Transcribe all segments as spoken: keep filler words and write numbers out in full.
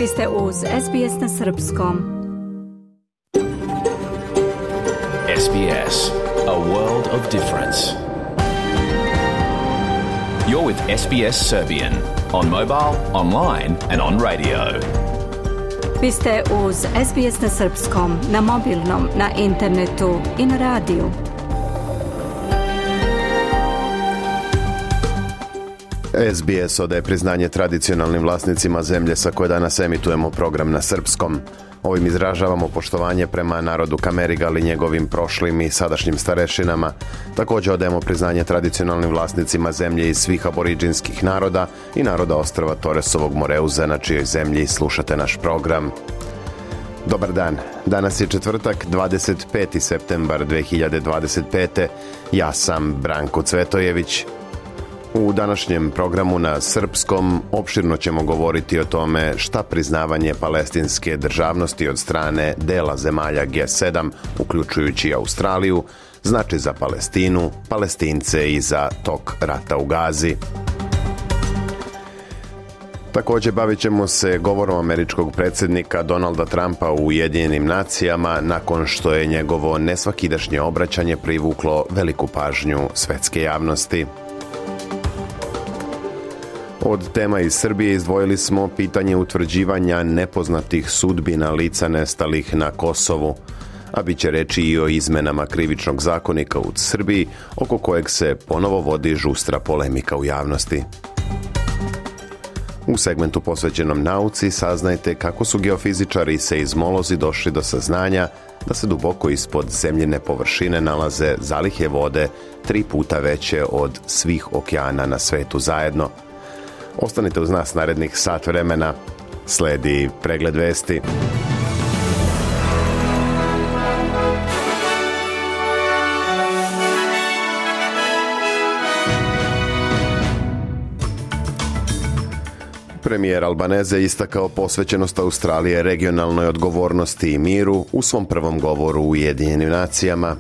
Vi ste uz S B S na srpskom. S B S, a world of difference. You're with S B S Serbian on mobile, online and on radio. Vi ste uz S B S na srpskom, na mobilnom, na internetu i na radiju. S B S odaje priznanje tradicionalnim vlasnicima zemlje sa koje danas emitujemo program na srpskom. Ovim izražavamo poštovanje prema narodu Kamerigal i njegovim prošlim i sadašnjim starešinama. Također odajemo priznanje tradicionalnim vlasnicima zemlje iz svih aboriđinskih naroda i naroda ostrva Toresovog Moreuza, na čijoj zemlji slušate naš program. Dobar dan, danas je četvrtak, dvadeset peti septembar dve hiljade dvadeset pete. Ja sam Branko Cvetojević. U današnjem programu na srpskom opširno ćemo govoriti o tome šta priznavanje palestinske državnosti od strane dela zemalja G sedam, uključujući Australiju, znači za Palestinu, Palestince i za tok rata u Gazi. Također bavit ćemo se govorom američkog predsjednika Donalda Trumpa u Ujedinjenim nacijama nakon što je njegovo nesvakidašnje obraćanje privuklo veliku pažnju svetske javnosti. Od tema iz Srbije izdvojili smo pitanje utvrđivanja nepoznatih sudbina lica nestalih na Kosovu, a bit će reći i o izmenama krivičnog zakonika u Srbiji, oko kojeg se ponovo vodi žustra polemika u javnosti. U segmentu posvećenom nauci saznajte kako su geofizičari i seizmolozi došli do saznanja da se duboko ispod zemljine površine nalaze zalihe vode tri puta veće od svih okeana na svetu zajedno. Ostanite uz nas narednih sat vremena. Sledi pregled vesti. Premijer Albaneze istakao posvećenost Australije regionalnoj odgovornosti i miru u svom prvom govoru u Ujedinjenim nacijama.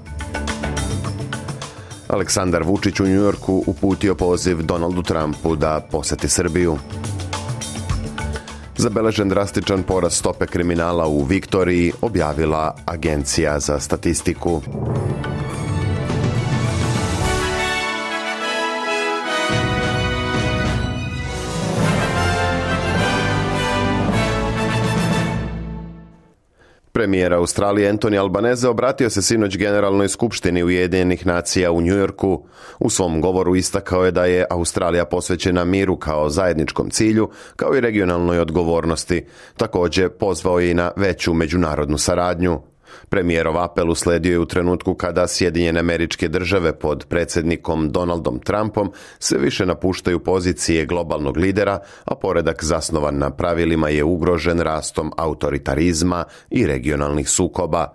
Aleksandar Vučić u Njujorku uputio poziv Donaldu Trumpu da poseti Srbiju. Zabeležen drastičan porast stope kriminala u Viktoriji, objavila Agencija za statistiku. Premijer Australije Anthony Albanese obratio se sinoć Generalnoj skupštini Ujedinjenih nacija u Njujorku. U svom govoru istakao je da je Australija posvećena miru kao zajedničkom cilju, kao i regionalnoj odgovornosti. Također pozvao je i na veću međunarodnu saradnju. Premijerov apel usledio je u trenutku kada Sjedinjene Američke Države pod predsjednikom Donaldom Trumpom sve više napuštaju pozicije globalnog lidera, a poredak zasnovan na pravilima je ugrožen rastom autoritarizma i regionalnih sukoba.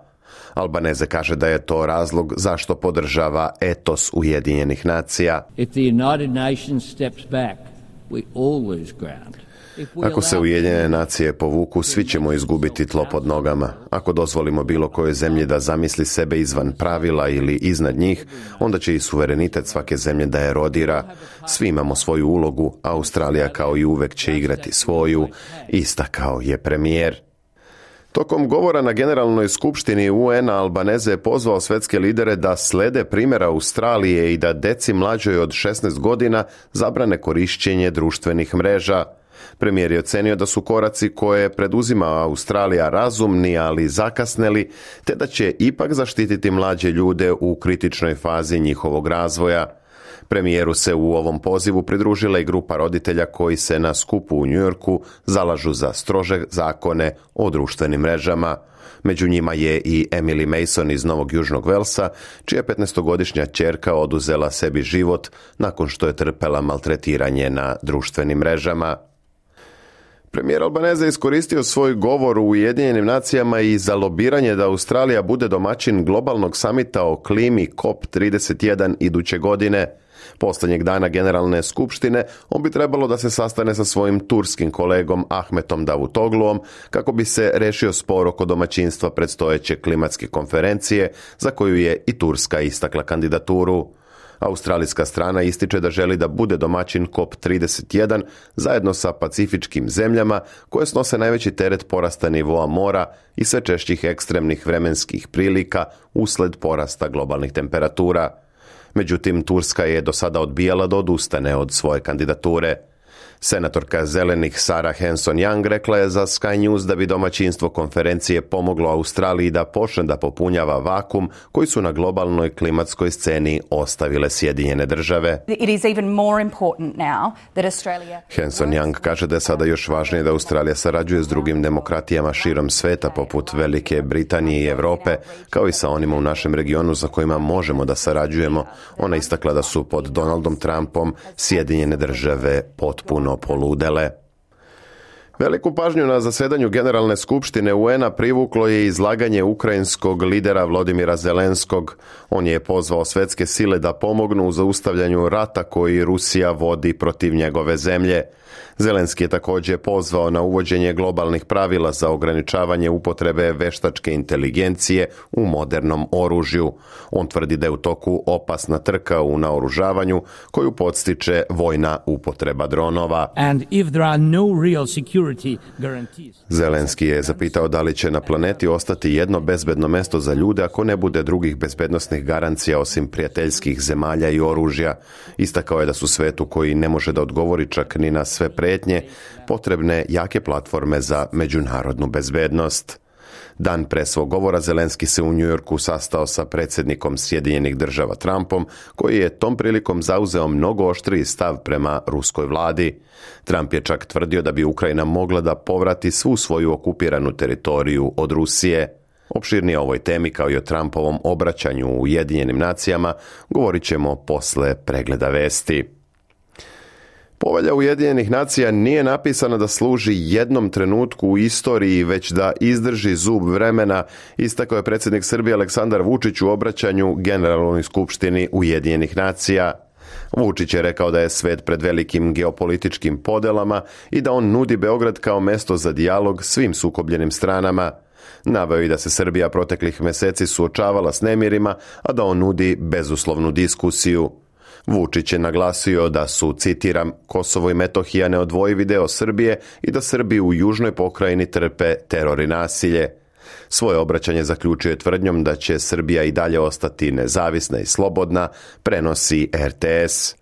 Albanese kaže da je to razlog zašto podržava etos Ujedinjenih nacija. If the United Nations steps back, we all lose ground. Ako se Ujedinjene nacije povuku, svi ćemo izgubiti tlo pod nogama. Ako dozvolimo bilo kojoj zemlji da zamisli sebe izvan pravila ili iznad njih, onda će i suverenitet svake zemlje da erodira. Svi imamo svoju ulogu, a Australija kao i uvek će igrati svoju, istakao je premijer. Tokom govora na Generalnoj skupštini U N-a Albanese je pozvao svetske lidere da slede primjera Australije i da deci mlađoj od šesnaest godina zabrane korišćenje društvenih mreža. Premijer je ocenio da su koraci koje preduzima Australija razumni, ali zakasneli, te da će ipak zaštititi mlađe ljude u kritičnoj fazi njihovog razvoja. Premijeru se u ovom pozivu pridružila i grupa roditelja koji se na skupu u Njujorku zalažu za strože zakone o društvenim mrežama. Među njima je i Emily Mason iz Novog Južnog Velsa, čija petnaestogodišnja ćerka oduzela sebi život nakon što je trpela maltretiranje na društvenim mrežama. Premijer Albanese iskoristio svoj govor u Ujedinjenim nacijama i za lobiranje da Australija bude domaćin globalnog samita o klimi C O P trideset jedan iduće godine. Posljednjeg dana Generalne skupštine on bi trebalo da se sastane sa svojim turskim kolegom Ahmetom Davutogluom kako bi se rešio spor oko domaćinstva predstojeće klimatske konferencije za koju je i Turska istakla kandidaturu. Australijska strana ističe da želi da bude domaćin kop trideset jedan zajedno sa pacifičkim zemljama koje snose najveći teret porasta nivoa mora i sve češćih ekstremnih vremenskih prilika usled porasta globalnih temperatura. Međutim, Turska je do sada odbijala da odustane od svoje kandidature. Senatorka zelenih Sarah Hanson-Young rekla je za Sky News da bi domaćinstvo konferencije pomoglo Australiji da počne da popunjava vakum koji su na globalnoj klimatskoj sceni ostavile Sjedinjene države. Hanson-Young kaže da je sada još važnije da Australija sarađuje s drugim demokratijama širom sveta poput Velike Britanije i Europe, kao i sa onima u našem regionu za kojima možemo da sarađujemo. Ona istakla da su pod Donaldom Trumpom Sjedinjene države potpuno poludele. Veliku pažnju na zasedanju Generalne skupštine U N-a privuklo je izlaganje ukrajinskog lidera Volodymyra Zelenskog. On je pozvao svetske sile da pomognu u zaustavljanju rata koji Rusija vodi protiv njegove zemlje. Zelenski je također pozvao na uvođenje globalnih pravila za ograničavanje upotrebe veštačke inteligencije u modernom oružju. On tvrdi da je u toku opasna trka u naoružavanju koju podstiče vojna upotreba dronova. And if there are no real security guarantees. Zelenski je zapitao da li će na planeti ostati jedno bezbedno mesto za ljude ako ne bude drugih bezbednosnih garancija osim prijateljskih zemalja i oružja. Istakao je da su svetu koji ne može da odgovori čak ni na sve prijetnje potrebne jake platforme za međunarodnu bezbednost. Dan pre svog govora Zelenski se u Njujorku sastao sa predsjednikom Sjedinjenih država Trumpom, koji je tom prilikom zauzeo mnogo oštriji stav prema ruskoj vladi. Trump je čak tvrdio da bi Ukrajina mogla da povrati svu svoju okupiranu teritoriju od Rusije. Opširnije o ovoj temi kao i o Trumpovom obraćanju u Ujedinjenim nacijama govorit ćemo posle pregleda vesti. Povelja Ujedinjenih nacija nije napisana da služi jednom trenutku u istoriji, već da izdrži zub vremena, istakao je predsjednik Srbije Aleksandar Vučić u obraćanju Generalnoj skupštini Ujedinjenih nacija. Vučić je rekao da je svet pred velikim geopolitičkim podelama i da on nudi Beograd kao mesto za dijalog svim sukobljenim stranama. Naveo i da se Srbija proteklih meseci suočavala s nemirima, a da on nudi bezuslovnu diskusiju. Vučić je naglasio da su, citiram, Kosovo i Metohija neodvojivi deo Srbije i da Srbi u južnoj pokrajini trpe teror i nasilje. Svoje obraćanje zaključio je tvrdnjom da će Srbija i dalje ostati nezavisna i slobodna, prenosi R T S.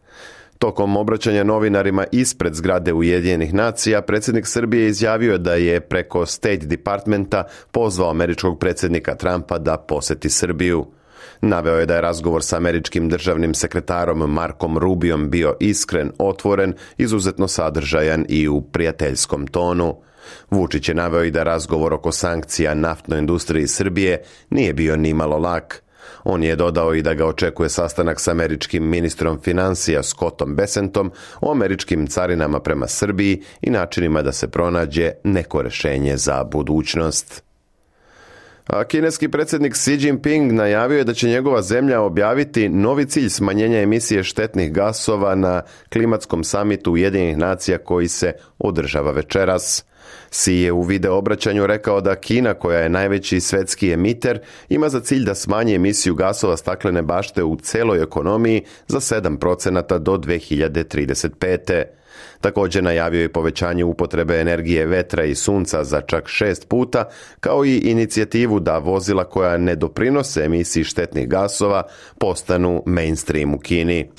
Tokom obraćanja novinarima ispred zgrade Ujedinjenih nacija, predsjednik Srbije izjavio da je preko State Departmenta pozvao američkog predsjednika Trumpa da poseti Srbiju. Naveo je da je razgovor sa američkim državnim sekretarom Markom Rubiom bio iskren, otvoren, izuzetno sadržajan i u prijateljskom tonu. Vučić je naveo i da razgovor oko sankcija naftnoj industriji Srbije nije bio nimalo lak. On je dodao i da ga očekuje sastanak s američkim ministrom financija Scottom Bessentom o američkim carinama prema Srbiji i načinima da se pronađe neko rješenje za budućnost. A kineski predsjednik Xi Jinping najavio je da će njegova zemlja objaviti novi cilj smanjenja emisije štetnih gasova na klimatskom samitu Ujedinjenih nacija koji se održava večeras. Xi je u video obraćanju rekao da Kina, koja je najveći svetski emiter, ima za cilj da smanji emisiju gasova staklene bašte u celoj ekonomiji za sedam procenata do dve hiljade trideset pete. Također najavio je povećanje upotrebe energije vetra i sunca za čak šest puta, kao i inicijativu da vozila koja ne doprinose emisiji štetnih gasova postanu mainstream u Kini.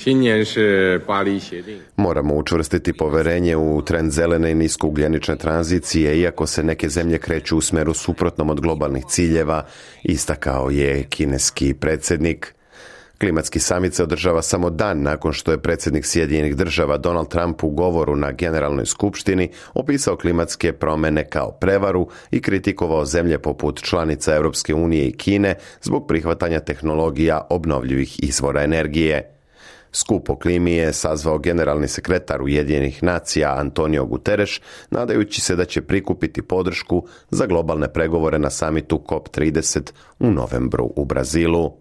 Moramo učvrstiti poverenje u trend zelene i niskougljenične tranzicije, iako se neke zemlje kreću u smeru suprotnom od globalnih ciljeva, istakao je kineski predsjednik. Klimatski samit se održava samo dan nakon što je predsjednik Sjedinjenih država Donald Trump u govoru na Generalnoj skupštini opisao klimatske promjene kao prevaru i kritikovao zemlje poput članica Europske unije i Kine zbog prihvatanja tehnologija obnovljivih izvora energije. Skup o klimi je sazvao generalni sekretar Ujedinjenih nacija Antonio Guterres, nadajući se da će prikupiti podršku za globalne pregovore na samitu COP trideset u novembru u Brazilu.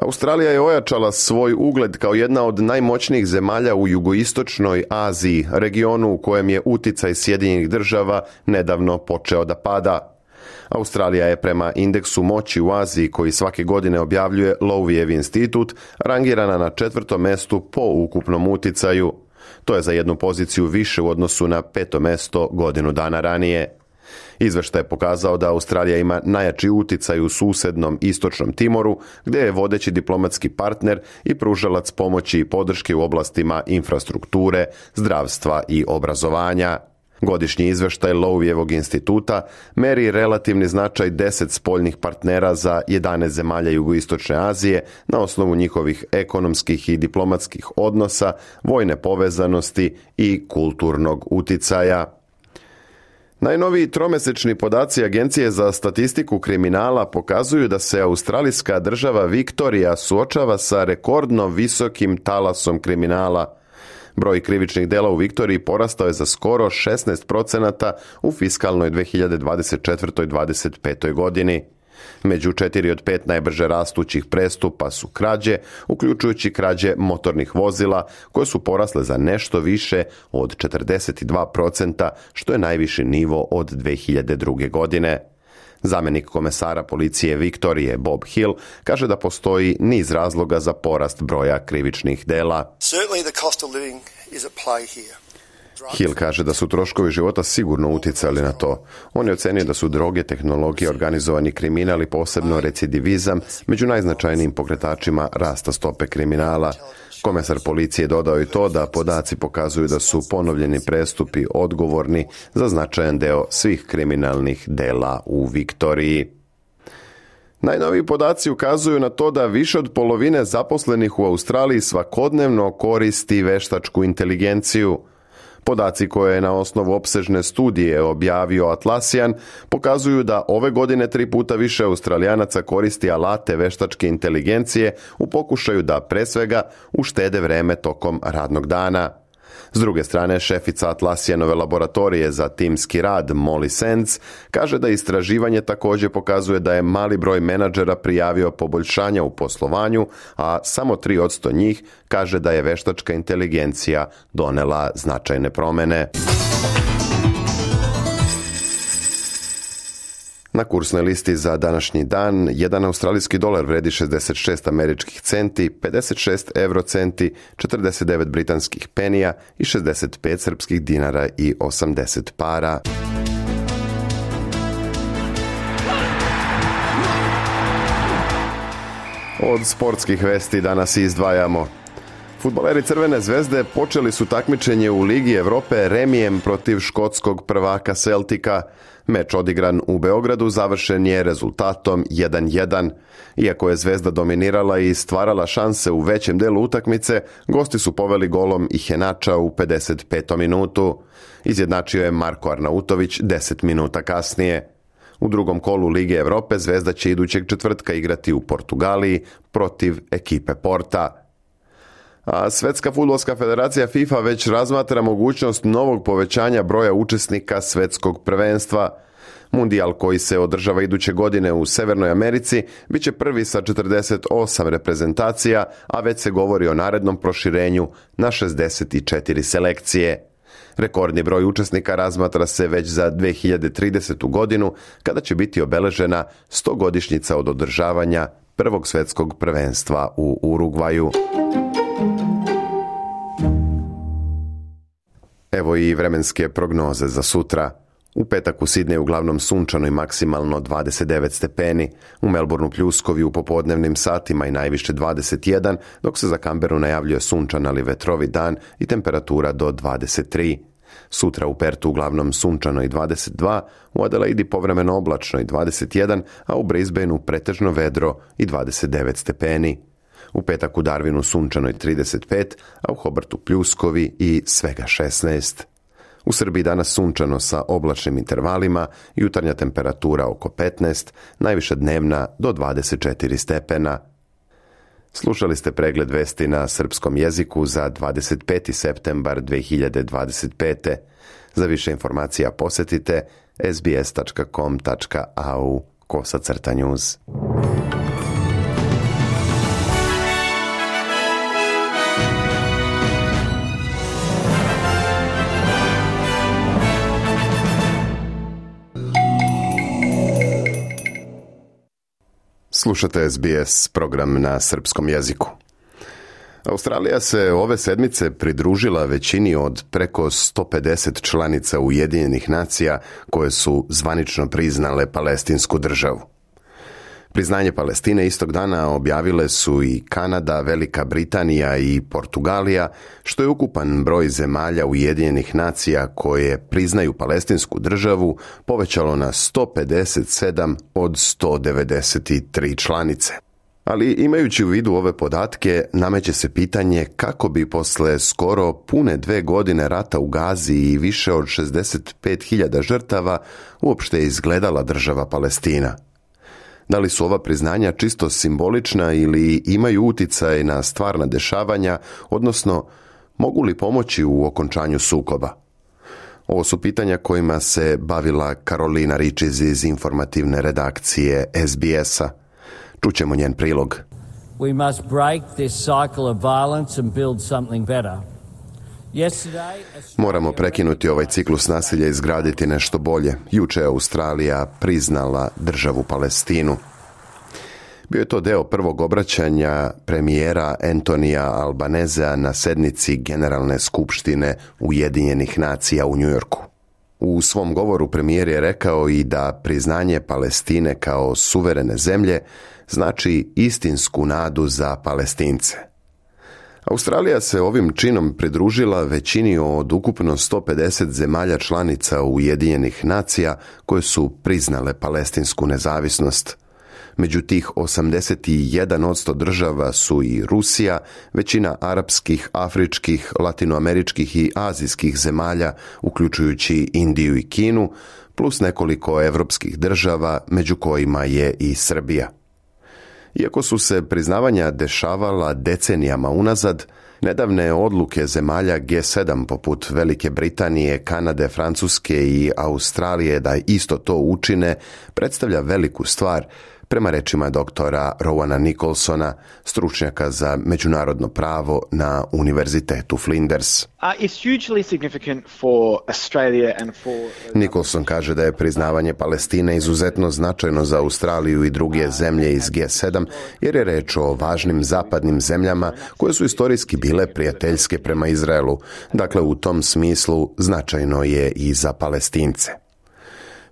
Australija je ojačala svoj ugled kao jedna od najmoćnijih zemalja u jugoistočnoj Aziji, regionu u kojem je uticaj Sjedinjenih država nedavno počeo da pada. Australija je prema indeksu moći u Aziji koji svake godine objavljuje Lowijev institut rangirana na četvrtom mestu po ukupnom uticaju. To je za jednu poziciju više u odnosu na peto mesto godinu dana ranije. Izveštaj je pokazao da Australija ima najjači uticaj u susednom istočnom Timoru, gdje je vodeći diplomatski partner i pružalac pomoći i podrške u oblastima infrastrukture, zdravstva i obrazovanja. Godišnji izveštaj Lowijevog instituta meri relativni značaj deset spoljnih partnera za jedanaest zemalja jugoistočne Azije na osnovu njihovih ekonomskih i diplomatskih odnosa, vojne povezanosti i kulturnog uticaja. Najnoviji tromesečni podaci Agencije za statistiku kriminala pokazuju da se australijska država Viktorija suočava sa rekordno visokim talasom kriminala. Broj krivičnih dela u Viktoriji porastao je za skoro šesnaest procenata u fiskalnoj dve hiljade dvadeset četvrtoj dvadeset petoj godini. Među četiri od pet najbrže rastućih prestupa su krađe, uključujući krađe motornih vozila, koje su porasle za nešto više od četrdeset dva procenta, što je najviši nivo od dve hiljade druge. godine. Zamjenik komesara policije Viktorije Bob Hill kaže da postoji niz razloga za porast broja krivičnih dela. Hill kaže da su troškovi života sigurno utjecali na to. On je ocenio da su droge, tehnologije, organizovani kriminal i posebno recidivizam među najznačajnijim pokretačima rasta stope kriminala. Komesar policije dodao i to da podaci pokazuju da su ponovljeni prestupi odgovorni za značajan deo svih kriminalnih dela u Viktoriji. Najnoviji podaci ukazuju na to da više od polovine zaposlenih u Australiji svakodnevno koristi veštačku inteligenciju. Podaci koje je na osnovu opsežne studije objavio Atlassian pokazuju da ove godine tri puta više Australijanaca koristi alate veštačke inteligencije u pokušaju da pre svega uštede vreme tokom radnog dana. S druge strane, šefica Atlassianove laboratorije za timski rad Molly Sands kaže da istraživanje također pokazuje da je mali broj menadžera prijavio poboljšanja u poslovanju, a samo tri posto njih kaže da je veštačka inteligencija donela značajne promjene. Na kursnoj listi za današnji dan jedan australijski dolar vredi šezdeset šest američkih centi, pedeset šest euro centi, četrdeset devet britanskih penija i šezdeset pet srpskih dinara i osamdeset para. Od sportskih vesti danas izdvajamo. Fudbaleri Crvene zvezde počeli su takmičenje u Ligi Evrope remijem protiv škotskog prvaka Celtica. Meč odigran u Beogradu završen je rezultatom jedan jedan. Iako je Zvezda dominirala i stvarala šanse u većem delu utakmice, gosti su poveli golom Ihenača u pedeset petom minutu. Izjednačio je Marko Arnautović deset minuta kasnije. U drugom kolu Lige Evrope Zvezda će idućeg četvrtka igrati u Portugaliji protiv ekipe Porta. A Svetska fudbalska federacija FIFA već razmatra mogućnost novog povećanja broja učesnika svetskog prvenstva. Mundijal koji se održava iduće godine u Severnoj Americi bit će prvi sa četrdeset osam reprezentacija, a već se govori o narednom proširenju na šezdeset četiri selekcije. Rekordni broj učesnika razmatra se već za dve hiljade tridesetu. godinu, kada će biti obeležena stogodišnjica od održavanja prvog svetskog prvenstva u Urugvaju. Evo i vremenske prognoze za sutra. U petak u Sidneju uglavnom sunčano i maksimalno dvadeset devet stepeni, u Melbourneu pljuskovi u popodnevnim satima i najviše dvadeset jedan, dok se za Canberu najavljuje sunčan ali vetrovit dan i temperatura do dvadeset tri. Sutra u Pertu uglavnom sunčano i dvadeset dva, u Adelaidi povremeno oblačno i dvadeset jedan, a u Brisbaneu pretežno vedro i dvadeset devet stepeni. U petak u Darwinu sunčano i trideset pet, a u Hobartu pljuskovi i svega šesnaest. U Srbiji danas sunčano sa oblačnim intervalima, jutarnja temperatura oko petnaest, najviša dnevna do dvadeset četiri stepena. Slušali ste pregled vesti na srpskom jeziku za dvadeset peti septembar dve hiljade dvadeset pete. Za više informacija posjetite es be es tačka com tačka a u kosacrta news. Slušate S B S program na srpskom jeziku. Australija se ove sedmice pridružila većini od preko sto pedeset članica Ujedinjenih nacija koje su zvanično priznale palestinsku državu. Priznanje Palestine istog dana objavile su i Kanada, Velika Britanija i Portugalija, što je ukupan broj zemalja Ujedinjenih nacija koje priznaju palestinsku državu povećalo na sto pedeset sedam od sto devedeset tri članice. Ali imajući u vidu ove podatke, nameće se pitanje kako bi posle skoro pune dve godine rata u Gazi i više od šezdeset pet hiljada žrtava uopšte izgledala država Palestina. Da li su ova priznanja čisto simbolična ili imaju uticaj na stvarna dešavanja, odnosno mogu li pomoći u okončanju sukoba? Ovo su pitanja kojima se bavila Karolina Ričiz iz informativne redakcije S B S-a. Čućemo njen prilog. We must break this cycle of violence and build something better. Moramo prekinuti ovaj ciklus nasilja i izgraditi nešto bolje. Juče je Australija priznala državu Palestinu. Bio je to deo prvog obraćanja premijera Antonija Albanezea na sednici Generalne skupštine Ujedinjenih nacija u Njujorku. U svom govoru premijer je rekao i da priznanje Palestine kao suverene zemlje znači istinsku nadu za Palestince. Australija se ovim činom pridružila većini od ukupno sto pedeset zemalja članica Ujedinjenih nacija koje su priznale palestinsku nezavisnost. Među tih osamdeset jedan posto država su i Rusija, većina arapskih, afričkih, latinoameričkih i azijskih zemalja, uključujući Indiju i Kinu, plus nekoliko evropskih država, među kojima je i Srbija. Iako su se priznavanja dešavala decenijama unazad, nedavne odluke zemalja G sedam poput Velike Britanije, Kanade, Francuske i Australije da isto to učine predstavlja veliku stvar, prema rečima doktora Rowana Nicholsona, stručnjaka za međunarodno pravo na Univerzitetu Flinders. Uh, it's hugely significant for Australia and for... Nicholson kaže da je priznavanje Palestine izuzetno značajno za Australiju i druge zemlje iz G sedam, jer je reč o važnim zapadnim zemljama koje su istorijski bile prijateljske prema Izraelu. Dakle, u tom smislu značajno je i za Palestince.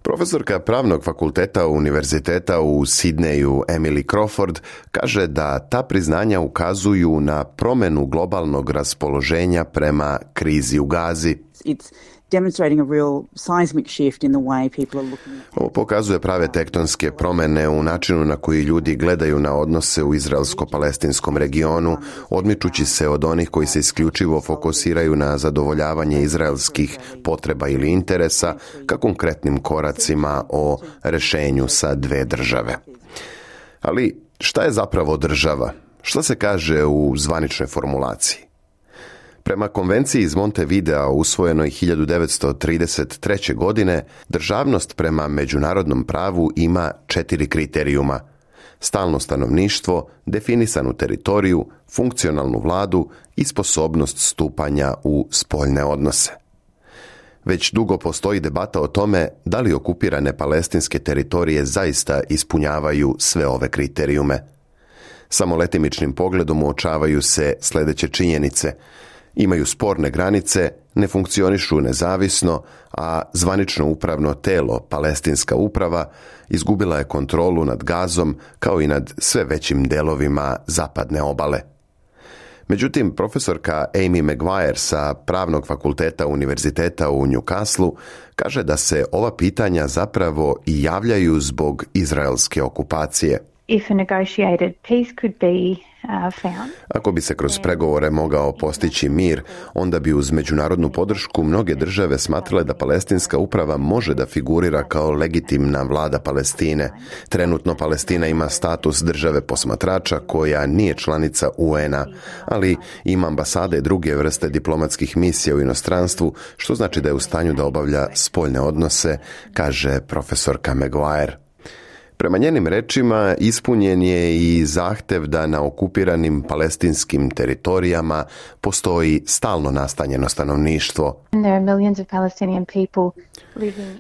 Profesorka pravnog fakulteta Univerziteta u Sidneju Emily Crawford kaže da ta priznanja ukazuju na promjenu globalnog raspoloženja prema krizi u Gazi. It's demonstrating a real seismic shift in the way people are looking at... Ovo pokazuje prave tektonske promjene u načinu na koji ljudi gledaju na odnose u izraelsko-palestinskom regionu, odmičući se od onih koji se isključivo fokusiraju na zadovoljavanje izraelskih potreba ili interesa ka konkretnim koracima o rešenju sa dve države. Ali šta je zapravo država? Šta se kaže u zvaničnoj formulaciji? Prema konvenciji iz Montevidea usvojenoj hiljadu devetsto trideset treće. godine, državnost prema međunarodnom pravu ima četiri kriterijuma: stalno stanovništvo, definisanu teritoriju, funkcionalnu vladu i sposobnost stupanja u spoljne odnose. Već dugo postoji debata o tome da li okupirane palestinske teritorije zaista ispunjavaju sve ove kriterijume. Samo letimičnim pogledom uočavaju se sljedeće činjenice: imaju sporne granice, ne funkcionišu nezavisno, a zvanično upravno telo, Palestinska uprava, izgubila je kontrolu nad Gazom kao i nad sve većim delovima zapadne obale. Međutim, profesorka Amy Maguire sa Pravnog fakulteta Univerziteta u Newcastleu kaže da se ova pitanja zapravo i javljaju zbog izraelske okupacije. If a negotiated peace could be uh, found. Ako bi se kroz pregovore mogao postići mir, onda bi uz međunarodnu podršku mnoge države smatrale da Palestinska uprava može da figurira kao legitimna vlada Palestine. Trenutno Palestina ima status države posmatrača koja nije članica U N a, ali ima ambasade i druge vrste diplomatskih misija u inostranstvu, što znači da je u stanju da obavlja spoljne odnose, kaže profesorka Maguire. Prema njenim rečima ispunjen je i zahtev da na okupiranim palestinskim teritorijama postoji stalno nastanjeno stanovništvo.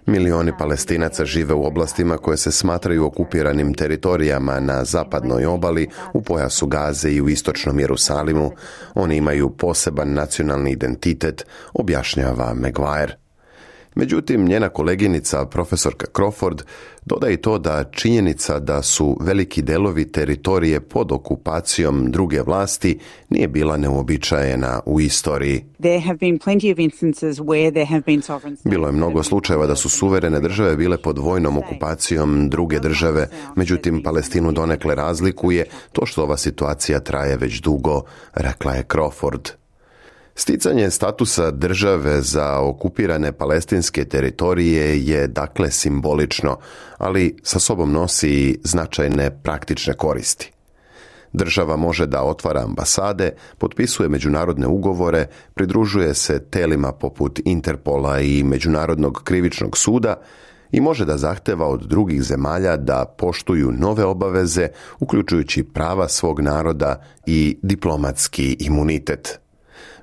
Milioni Palestinaca žive u oblastima koje se smatraju okupiranim teritorijama na zapadnoj obali, u pojasu Gaze i u istočnom Jerusalimu. Oni imaju poseban nacionalni identitet, objašnjava Maguire. Međutim, njena koleginica, profesorka Crawford, dodaje i to da činjenica da su veliki delovi teritorije pod okupacijom druge vlasti nije bila neuobičajena u istoriji. Bilo je mnogo slučajeva da su suverene države bile pod vojnom okupacijom druge države, međutim Palestinu donekle razlikuje to što ova situacija traje već dugo, rekla je Crawford. Sticanje statusa države za okupirane palestinske teritorije je dakle simbolično, ali sa sobom nosi i značajne praktične koristi. Država može da otvara ambasade, potpisuje međunarodne ugovore, pridružuje se telima poput Interpola i Međunarodnog krivičnog suda i može da zahteva od drugih zemalja da poštuju nove obaveze, uključujući prava svog naroda i diplomatski imunitet.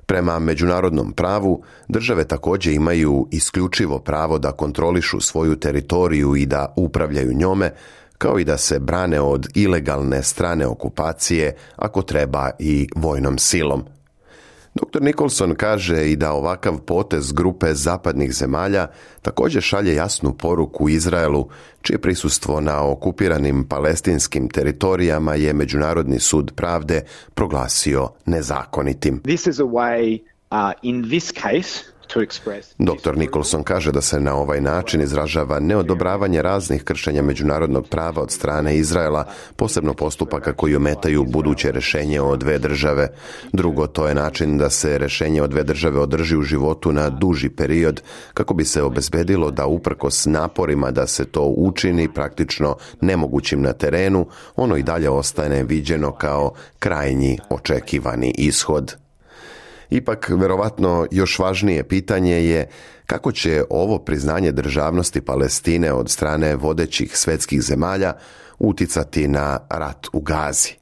Prema međunarodnom pravu, države također imaju isključivo pravo da kontrolišu svoju teritoriju i da upravljaju njome, kao i da se brane od ilegalne strane okupacije, ako treba i vojnom silom. doktor Nicholson kaže i da ovakav potez grupe zapadnih zemalja također šalje jasnu poruku Izraelu, čije prisustvo na okupiranim palestinskim teritorijama je Međunarodni sud pravde proglasio nezakonitim. This is a way, uh, in this case, doktor Nicholson kaže da se na ovaj način izražava neodobravanje raznih kršenja međunarodnog prava od strane Izraela, posebno postupaka koji ometaju buduće rješenje o dve države. Drugo, to je način da se rješenje o dve države održi u životu na duži period, kako bi se obezbedilo da uprkos naporima da se to učini praktično nemogućim na terenu, ono i dalje ostane viđeno kao krajnji očekivani ishod. Ipak, verovatno, još važnije pitanje je kako će ovo priznanje državnosti Palestine od strane vodećih svetskih zemalja uticati na rat u Gazi.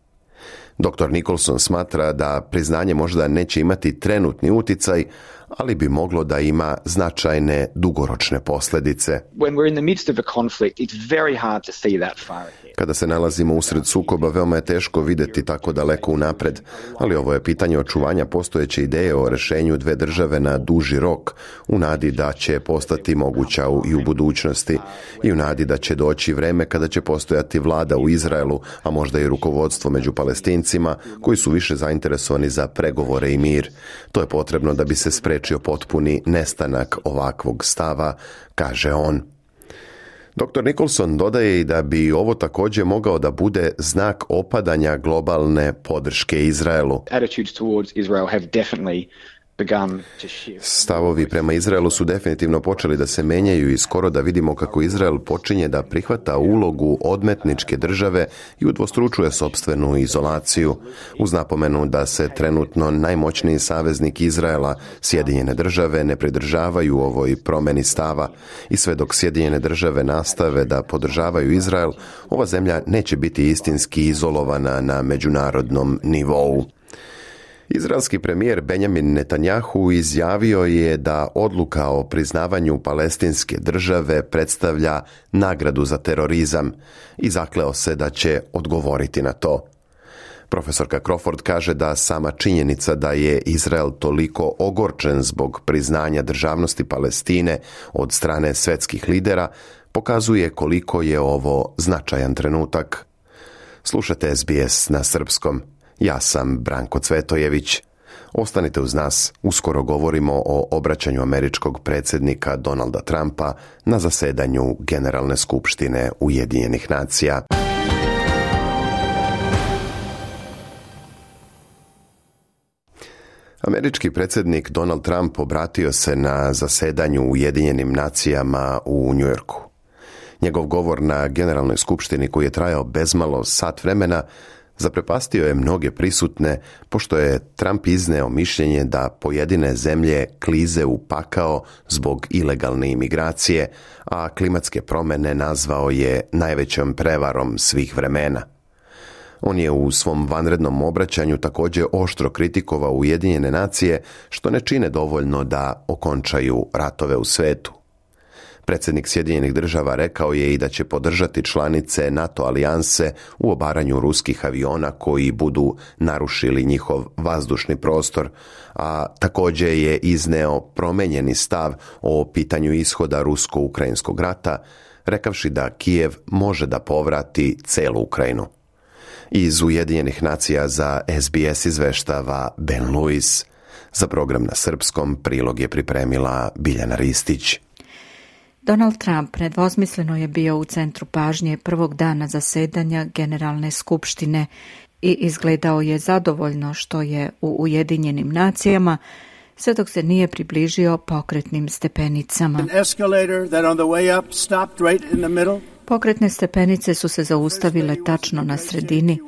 doktor Nicholson smatra da priznanje možda neće imati trenutni uticaj, ali bi moglo da ima značajne dugoročne posljedice. Kada se nalazimo usred sukoba, veoma je teško vidjeti tako daleko unapred, ali ovo je pitanje očuvanja postojeće ideje o rješenju dve države na duži rok, u nadi da će postati moguća i u budućnosti, i u nadi da će doći vreme kada će postojati vlada u Izraelu, a možda i rukovodstvo među Palestincima, koji su više zainteresovani za pregovore i mir. To je potrebno da bi se spriječio potpuni nestanak ovakvog stava, kaže on. doktor Nicholson dodaje i da bi ovo također mogao da bude znak opadanja globalne podrške Izraelu. Attitudes towards Israel have definitely Stavovi prema Izraelu su definitivno počeli da se menjaju i skoro da vidimo kako Izrael počinje da prihvata ulogu odmetničke države i udvostručuje sopstvenu izolaciju, uz napomenu da se trenutno najmoćniji saveznik Izraela, Sjedinjene države, ne pridržavaju ovoj promjeni stava, i sve dok Sjedinjene države nastave da podržavaju Izrael, ova zemlja neće biti istinski izolovana na međunarodnom nivou. Izraelski premijer Benjamin Netanjahu izjavio je da odluka o priznavanju palestinske države predstavlja nagradu za terorizam i zakleo se da će odgovoriti na to. Profesorka Crawford kaže da sama činjenica da je Izrael toliko ogorčen zbog priznanja državnosti Palestine od strane svetskih lidera pokazuje koliko je ovo značajan trenutak. Slušate S B S na srpskom. Ja sam Branko Cvetojević. Ostanite uz nas, uskoro govorimo o obraćanju američkog predsjednika Donalda Trumpa na zasedanju Generalne skupštine Ujedinjenih nacija. Američki predsjednik Donald Trump obratio se na zasedanju Ujedinjenim nacijama u Njujorku. Njegov govor na Generalnoj skupštini, koji je trajao bezmalo sat vremena, Zaprepastio je mnoge prisutne, pošto je Trump izneo mišljenje da pojedine zemlje klize u pakao zbog ilegalne imigracije, a klimatske promjene nazvao je najvećom prevarom svih vremena. On je u svom vanrednom obraćanju također oštro kritikovao Ujedinjene nacije što ne čine dovoljno da okončaju ratove u svetu. Predsjednik Sjedinjenih država rekao je i da će podržati članice NATO alijanse u obaranju ruskih aviona koji budu narušili njihov vazdušni prostor, a također je izneo promenjeni stav o pitanju ishoda rusko-ukrajinskog rata, rekavši da Kijev može da povrati celu Ukrajinu. Iz Ujedinjenih nacija za S B S izveštava Ben Lewis. Za program na srpskom prilog je pripremila Biljana Ristić. Donald Trump nedvosmisleno je bio u centru pažnje prvog dana zasedanja Generalne skupštine i izgledao je zadovoljno što je u Ujedinjenim nacijama, sve dok se nije približio pokretnim stepenicama. Pokretne stepenice su se zaustavile tačno na sredini.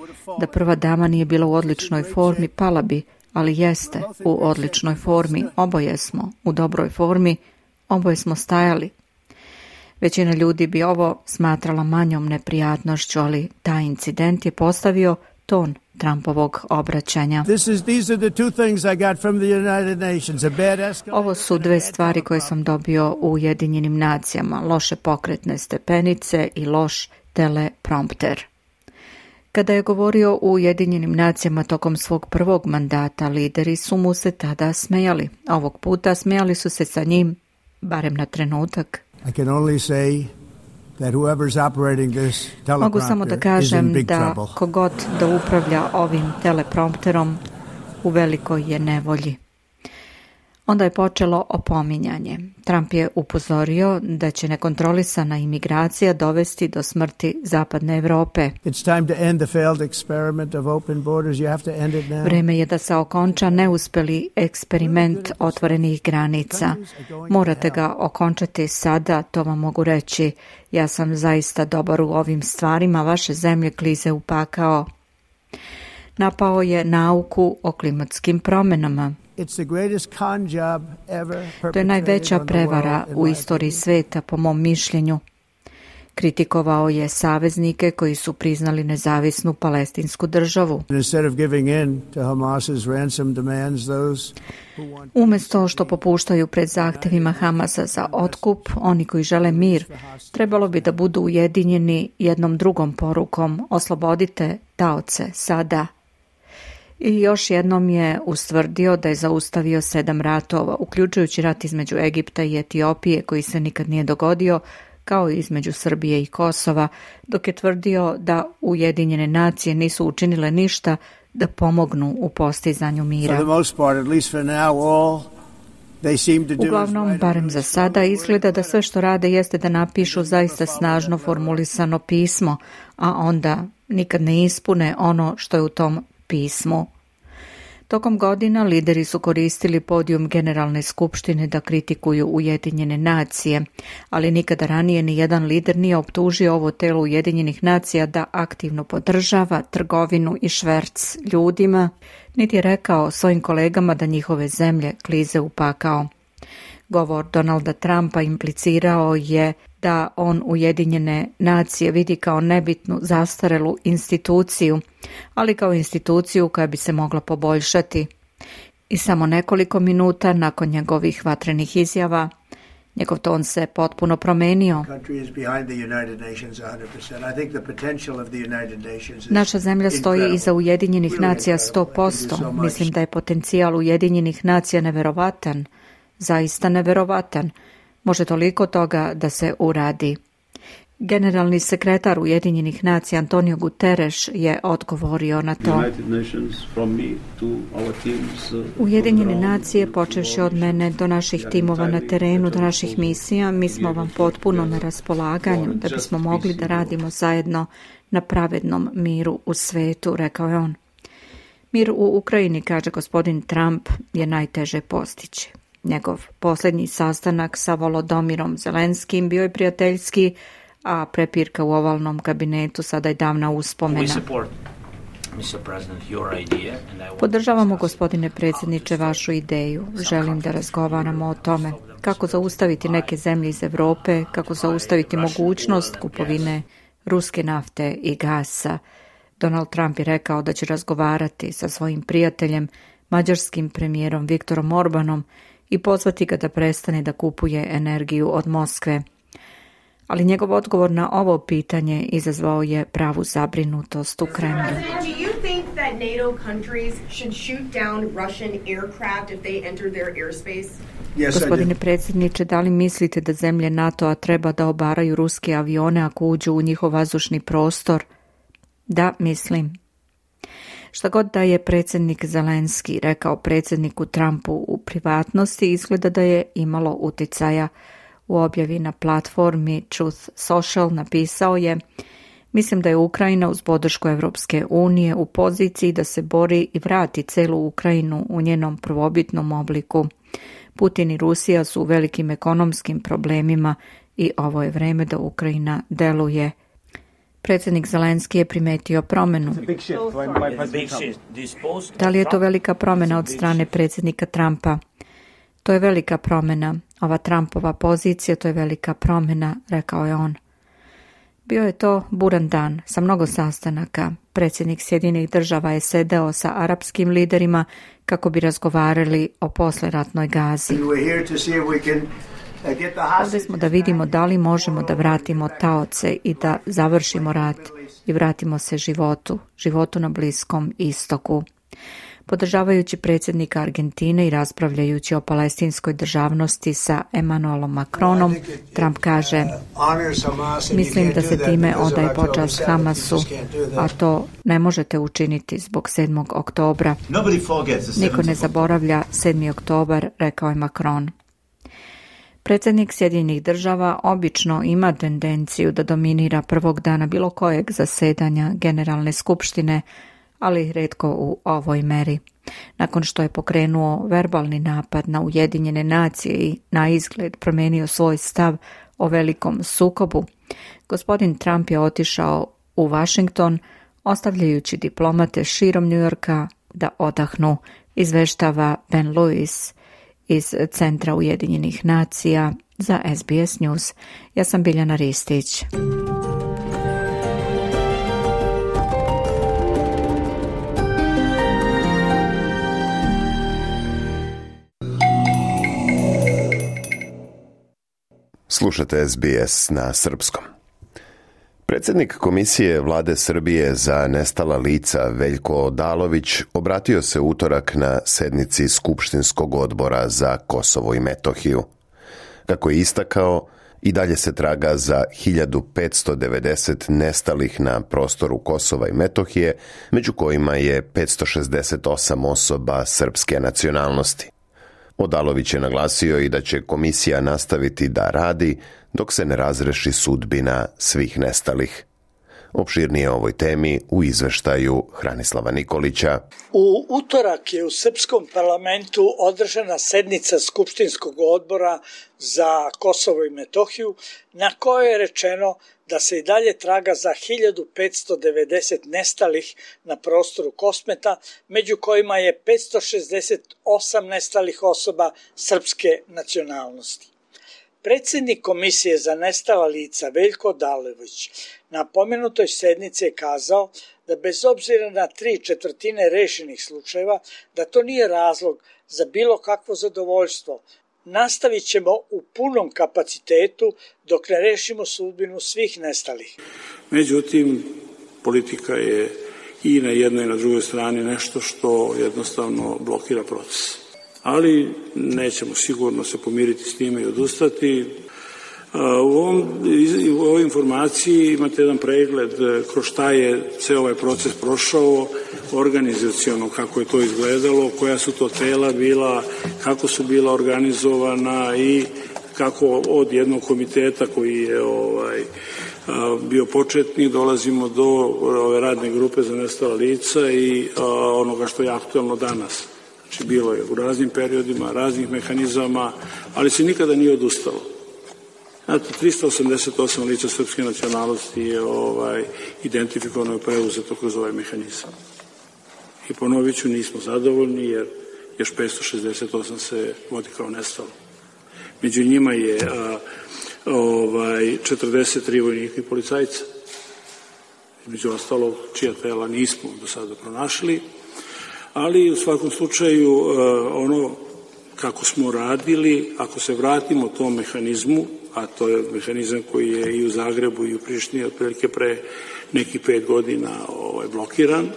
Da prva dama nije bila u odličnoj formi, pala bi, ali jeste u odličnoj formi. Oboje smo u dobroj formi, oboje smo stajali. Većina ljudi bi ovo smatrala manjom neprijatnošću, ali taj incident je postavio ton Trumpovog obraćanja. Ovo su dve stvari koje sam dobio u Ujedinjenim nacijama, loše pokretne stepenice i loš teleprompter. Kada je govorio u Ujedinjenim nacijama tokom svog prvog mandata, lideri su mu se tada smejali. Ovog puta smejali su se sa njim, barem na trenutak. I can only say that whoever's operating this Mogu samo da kažem da kogod da upravlja ovim teleprompterom u velikoj je nevolji. Onda je počelo opominjanje. Trump je upozorio da će nekontrolisana imigracija dovesti do smrti zapadne Evrope. Vreme je da se okonča neuspeli eksperiment otvorenih granica. Morate ga okončati sada, to vam mogu reći. Ja sam zaista dobar u ovim stvarima, vaše zemlje klize u pakao. Napao je nauku o klimatskim promjenama. To je najveća prevara u istoriji sveta, po mom mišljenju. Kritikovao je saveznike koji su priznali nezavisnu palestinsku državu. Umjesto što popuštaju pred zahtjevima Hamasa za otkup, oni koji žele mir, trebalo bi da budu ujedinjeni jednom drugom porukom: oslobodite taoce sada. I još jednom je ustvrdio da je zaustavio sedam ratova, uključujući rat između Egipta i Etiopije koji se nikad nije dogodio, kao i između Srbije i Kosova, dok je tvrdio da Ujedinjene nacije nisu učinile ništa da pomognu u postizanju mira. Uglavnom, barem za sada, izgleda da sve što rade jeste da napišu zaista snažno formulisano pismo, a onda nikad ne ispune ono što je u tom pismu. Tokom godina lideri su koristili podijum Generalne skupštine da kritikuju Ujedinjene nacije, ali nikada ranije ni jedan lider nije optužio ovo telo Ujedinjenih nacija da aktivno podržava trgovinu i šverc ljudima, niti je rekao svojim kolegama da njihove zemlje klize u pakao. Govor Donalda Trumpa implicirao je da on Ujedinjene nacije vidi kao nebitnu, zastarelu instituciju, ali kao instituciju koja bi se mogla poboljšati. I samo nekoliko minuta nakon njegovih vatrenih izjava, njegov ton se potpuno promenio. Naša zemlja stoji iza Ujedinjenih nacija sto posto. Mislim da je potencijal Ujedinjenih nacija neverovatan, zaista neverovatan. Može toliko toga da se uradi. Generalni sekretar Ujedinjenih nacija Antonio Guterres je odgovorio na to. Ujedinjene nacije, počevši od mene do naših timova na terenu, do naših misija, mi smo vam potpuno na raspolaganju da bismo mogli da radimo zajedno na pravednom miru u svetu, rekao je on. Mir u Ukrajini, kaže gospodin Trump, je najteže postići. Njegov posljednji sastanak sa Volodomirom Zelenskim bio je prijateljski, a prepirka u ovalnom kabinetu sada je davna uspomena. Podržavamo, gospodine predsjedniče, vašu ideju. Želim da razgovaramo o tome kako zaustaviti neke zemlje iz Europe, kako zaustaviti mogućnost kupovine ruske nafte i gasa. Donald Trump je rekao da će razgovarati sa svojim prijateljem, mađarskim premijerom Viktorom Orbanom i pozvati ga da prestane da kupuje energiju od Moskve. Ali njegov odgovor na ovo pitanje izazvao je pravu zabrinutost u Kremlju. Gospodine predsjedniče, da li mislite da zemlje NATO-a treba da obaraju ruske avione ako uđu u njihov vazdušni prostor? Da, mislim. Šta god da je predsjednik Zelenski rekao predsjedniku Trumpu u privatnosti, izgleda da je imalo uticaja. U objavi na platformi Truth Social napisao je: mislim da je Ukrajina uz podršku Evropske unije u poziciji da se bori i vrati celu Ukrajinu u njenom prvobitnom obliku. Putin i Rusija su u velikim ekonomskim problemima i ovo je vreme da Ukrajina deluje. Predsjednik Zelenski je primetio promjenu. Da li je to velika promjena od strane predsjednika Trumpa? To je velika promjena. Ova Trumpova pozicija, to je velika promjena, rekao je on. Bio je to buran dan sa mnogo sastanaka. Predsjednik Sjedinjenih država je sedeo sa arapskim liderima kako bi razgovarali o posleratnoj Gazi. Ovdje smo da vidimo da li možemo da vratimo taoce i da završimo rat i vratimo se životu, životu na Bliskom istoku. Podržavajući predsjednika Argentine i raspravljajući o palestinskoj državnosti sa Emmanuelom Macronom, Trump kaže: mislim da se time odaje počast Hamasu, a to ne možete učiniti zbog sedmog oktobra. Niko ne zaboravlja sedmi oktobar, rekao je Macron. Predsjednik Sjedinjenih država obično ima tendenciju da dominira prvog dana bilo kojeg zasedanja Generalne skupštine, ali retko u ovoj meri. Nakon što je pokrenuo verbalni napad na Ujedinjene nacije i na izgled promijenio svoj stav o velikom sukobu, gospodin Trump je otišao u Washington, ostavljajući diplomate širom Njujorka da odahnu, izveštava Ben Lewis iz Centra Ujedinjenih nacija za S B S News. Ja sam Biljana Ristić. Slušate S B S na srpskom. Predsjednik Komisije Vlade Srbije za nestala lica Veljko Odalović obratio se utorak na sednici Skupštinskog odbora za Kosovo i Metohiju. Kako je istakao, i dalje se traga za hiljadu petsto devedeset nestalih na prostoru Kosova i Metohije, među kojima je petsto šezdeset osam osoba srpske nacionalnosti. Odalović je naglasio i da će komisija nastaviti da radi dok se ne razreši sudbina svih nestalih. Opširnije o ovoj temi u izveštaju Hranislava Nikolića. U utorak je u srpskom parlamentu održana sednica Skupštinskog odbora za Kosovo i Metohiju, na kojoj je rečeno da se i dalje traga za hiljadu petsto devedeset nestalih na prostoru Kosmeta, među kojima je petsto šezdeset osam nestalih osoba srpske nacionalnosti. Predsjednik Komisije za nestala lica Veljko Odalović na pomenutoj sednici je kazao da bez obzira na tri četvrtine rešenih slučajeva, da to nije razlog za bilo kakvo zadovoljstvo. Nastavit ćemo u punom kapacitetu dok ne rešimo sudbinu svih nestalih. Međutim, politika je i na jednoj i na drugoj strani nešto što jednostavno blokira proces. Ali nećemo sigurno se pomiriti s time i odustati. U, ovom, u ovoj informaciji imate jedan pregled kroz šta je ceo ovaj proces prošao, organizaciono kako je to izgledalo, koja su to tela bila, kako su bila organizovana i kako od jednog komiteta koji je ovaj, bio početni dolazimo do ove radne grupe za nestala lica i onoga što je aktualno danas. Znači bilo je u raznim periodima, raznih mehanizama, ali se nikada nije odustalo. Znate, tristo osamdeset osam lica srpske nacionalnosti je ovaj, identifikovano i preuzeto kroz ovaj mehanizam. I ponovit ću, nismo zadovoljni jer još petsto šezdeset osam se vodi kao nestalo. Među njima je a, ovaj, četrdeset tri vojnika i policajca. Među ostalog, čija tela nismo do sada pronašli, ali u svakom slučaju ono kako smo radili, ako se vratimo tom mehanizmu, a to je mehanizam koji je i u Zagrebu i u Prištini otprilike pre nekih pet godina ovaj, blokiran,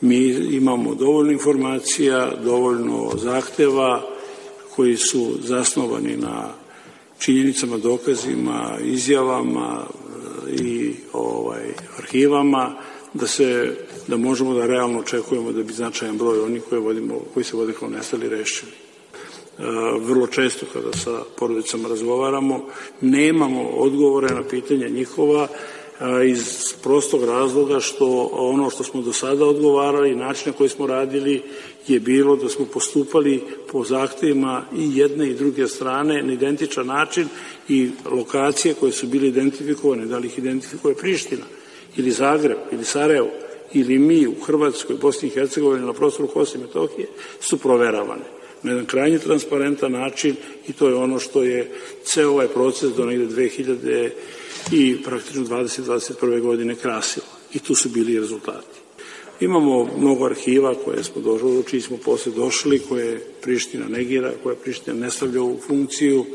mi imamo dovoljno informacija, dovoljno zahteva koji su zasnovani na činjenicama, dokazima, izjavama i ovaj, arhivama, da se da možemo da realno očekujemo da bi značajan broj onih koje vodimo, koji se vode kao nestali rešili. E, vrlo često kada sa porodicama razgovaramo, nemamo odgovore na pitanja njihova e, iz prostog razloga što ono što smo do sada odgovarali, način na koji smo radili je bilo da smo postupali po zahtevima i jedne i druge strane na identičan način i lokacije koje su bile identifikovane, da li ih identifikuje Priština ili Zagreb ili Sarajevo ili mi u Hrvatskoj, Bosni i Hercegovini na prostoru Kosova i Metohije su proveravane na jedan krajnje transparentan način i to je ono što je ceo ovaj proces do negde dve hiljade i praktično dvadeset dvadeset prve godine krasilo i tu su bili rezultati. Imamo mnogo arhiva koje smo došli, čiji smo posle došli, koje Priština negira, koje Priština ne stavlja u funkciju,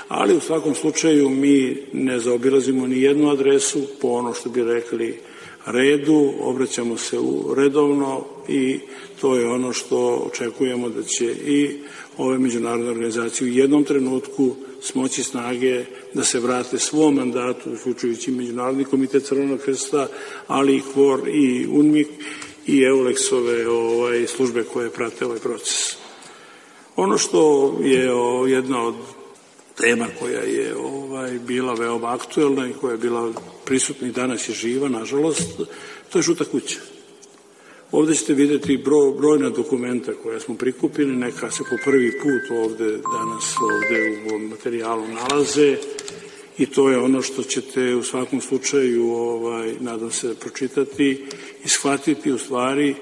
ali u svakom slučaju mi ne zaobilazimo ni jednu adresu po ono što bi rekli redu, obraćamo se u redovno i to je ono što očekujemo da će i ove međunarodne organizacije u jednom trenutku smoći snage da se vrate svom mandatu, uključujući Međunarodni komitet Crvenog krsta, ali i K V O R i U N M I K i EULEX-ove ovaj, službe koje prate ovaj proces. Ono što je o, jedna od tema koja je ovaj, bila veoma aktuelna i koja je bila prisutna i danas je živa, nažalost, to je žuta kuća. Ovde ćete vidjeti broj, brojna dokumenta koja smo prikupili, neka se po prvi put ovde danas ovde u ovom materijalu nalaze i to je ono što ćete u svakom slučaju, ovaj, nadam se, pročitati i shvatiti u stvari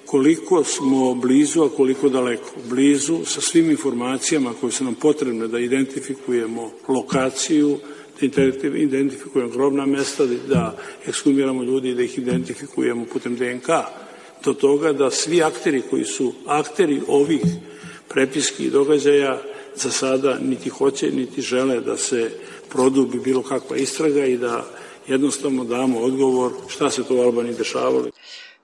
koliko smo blizu, a koliko daleko. Blizu sa svim informacijama koje su nam potrebne da identifikujemo lokaciju, da identifikujemo grobna mesta, da ekshumiramo ljudi i da ih identifikujemo putem D N K. Do toga da svi akteri koji su akteri ovih prepiski i događaja za sada niti hoće, niti žele da se produbi bilo kakva istraga i da jednostavno damo odgovor šta se to u Albaniji dešavalo.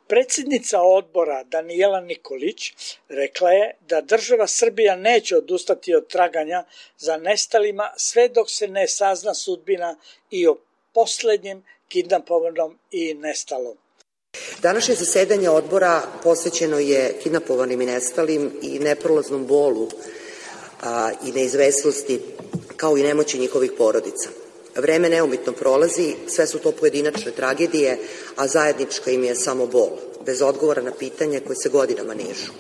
Predsjednica odbora Danijela Nikolić rekla je da država Srbija neće odustati od traganja za nestalima sve dok se ne sazna sudbina i o poslednjem kidnapovanom i nestalom. Današnje zasedanje odbora posvećeno je kidnapovanim i nestalim i neprolaznom bolu a, i neizvesnosti kao i nemoći njihovih porodica. Vreme neumitno prolazi, sve su to pojedinačne tragedije, a zajednička im je samo bol, bez odgovora na pitanje koje se godinama nižu.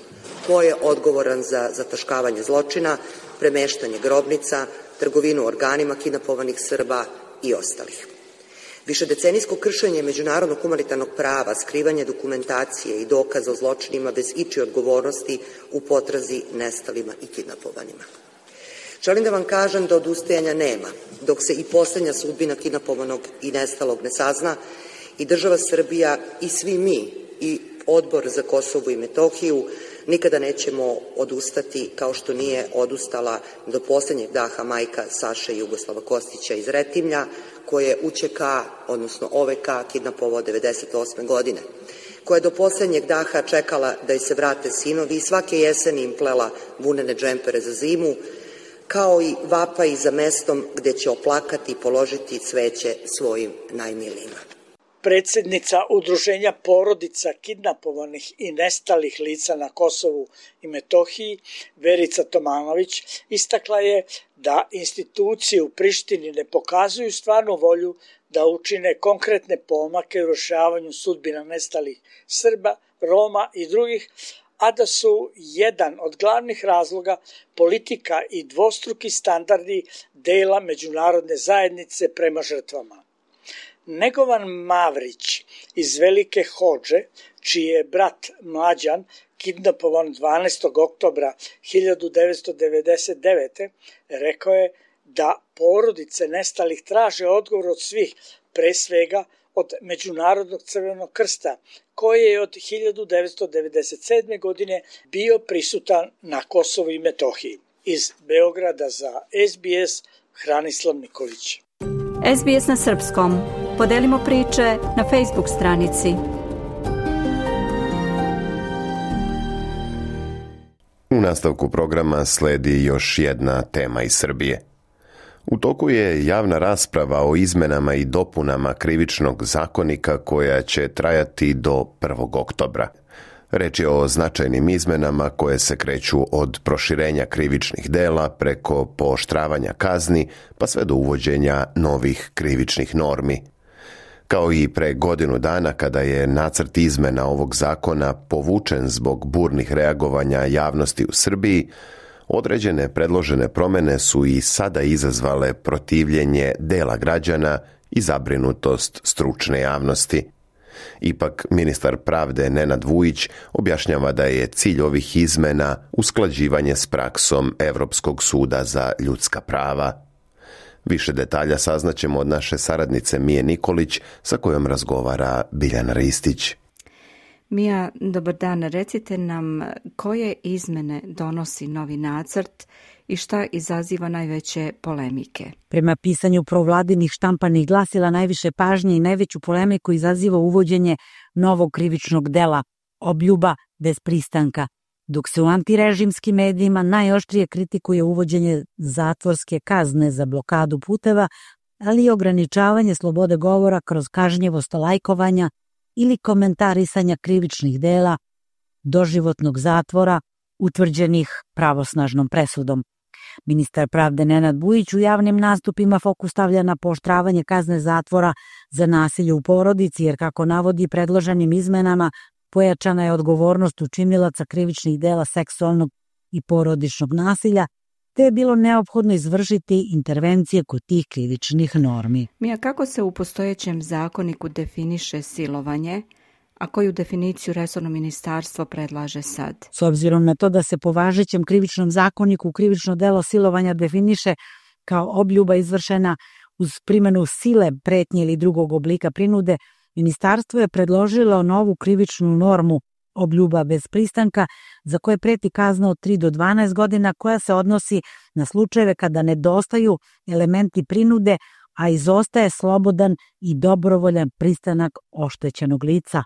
Ko je odgovoran za zataškavanje zločina, premeštanje grobnica, trgovinu organima kidnapovanih Srba i ostalih? Višedecenijsko kršenje međunarodnog humanitarnog prava, skrivanje dokumentacije i dokaza o zločinima bez ičije odgovornosti u potrazi nestalima i kidnapovanima. Želim da vam kažem da odustajanja nema, dok se i poslednja sudbina kidnapovanog i nestalog ne sazna i država Srbija i svi mi i Odbor za Kosovo i Metohiju nikada nećemo odustati kao što nije odustala do poslednjeg daha majka Saše Jugoslava Kostića iz Retimlja, koje je U Ć K, odnosno O V K, kidnapovao devedeset osme godine, koja je do poslednjeg daha čekala da joj se vrate sinovi i svake jeseni im plela vunene džempere za zimu, kao i vapaj za mestom gde će oplakati i položiti cveće svojim najmilijima. Predsjednica Udruženja porodica kidnapovanih i nestalih lica na Kosovu i Metohiji, Verica Tomanović, istakla je da institucije u Prištini ne pokazuju stvarnu volju da učine konkretne pomake u rešavanju sudbina nestalih Srba, Roma i drugih, a da su jedan od glavnih razloga politika i dvostruki standardi dela međunarodne zajednice prema žrtvama. Negovan Mavrić iz Velike Hodže, čiji je brat Mlađan kidnapovan dvanaestog oktobra hiljadu devetsto devedeset devete. rekao je da porodice nestalih traže odgovor od svih, pre svega od Međunarodnog crvenog krsta, koji je od hiljadu devetsto devedeset sedme. godine bio prisutan na Kosovu i Metohiji. Iz Beograda za S B S, Hranislav Nikolić. S B S na srpskom. Podelimo priče na Facebook stranici. U nastavku programa sledi još jedna tema iz Srbije. U toku je javna rasprava o izmenama i dopunama krivičnog zakonika koja će trajati do prvog oktobra. Reč je o značajnim izmenama koje se kreću od proširenja krivičnih dela preko pooštravanja kazni pa sve do uvođenja novih krivičnih normi. Kao i pre godinu dana kada je nacrt izmena ovog zakona povučen zbog burnih reagovanja javnosti u Srbiji, određene predložene promene su i sada izazvale protivljenje dela građana i zabrinutost stručne javnosti. Ipak, ministar pravde Nenad Vujić objašnjava da je cilj ovih izmena usklađivanje s praksom Evropskog suda za ljudska prava. Više detalja saznaćemo od naše saradnice Mije Nikolić, sa kojom razgovara Biljana Ristić. Mija, dobar dan. Recite nam koje izmene donosi novi nacrt i šta izaziva najveće polemike? Prema pisanju provladinih štampanih glasila najviše pažnje i najveću polemiku izaziva uvođenje novog krivičnog dela obljuba bez pristanka, dok se u antirežimskim medijima najoštrije kritikuje uvođenje zatvorske kazne za blokadu puteva, ali i ograničavanje slobode govora kroz kažnjivost lajkovanja ili komentarisanja krivičnih dela, doživotnog zatvora utvrđenih pravosnažnom presudom. Ministar pravde Nenad Vujić u javnim nastupima fokus stavlja na pooštravanje kazne zatvora za nasilje u porodici, jer kako navodi predloženim izmenama pojačana je odgovornost učinilaca krivičnih dela seksualnog i porodičnog nasilja, te je bilo neophodno izvršiti intervencije kod tih krivičnih normi. Mija, kako se u postojećem zakoniku definiše silovanje, a koju definiciju resorno ministarstvo predlaže sad? S obzirom na to da se po važećem krivičnom zakoniku krivično delo silovanja definiše kao obljuba izvršena uz primjenu sile, pretnje ili drugog oblika prinude, ministarstvo je predložilo novu krivičnu normu obljuba bez pristanka, za koje preti kazna od tri do dvanaest godina, koja se odnosi na slučajeve kada nedostaju elementi prinude, a izostaje slobodan i dobrovoljan pristanak oštećenog lica.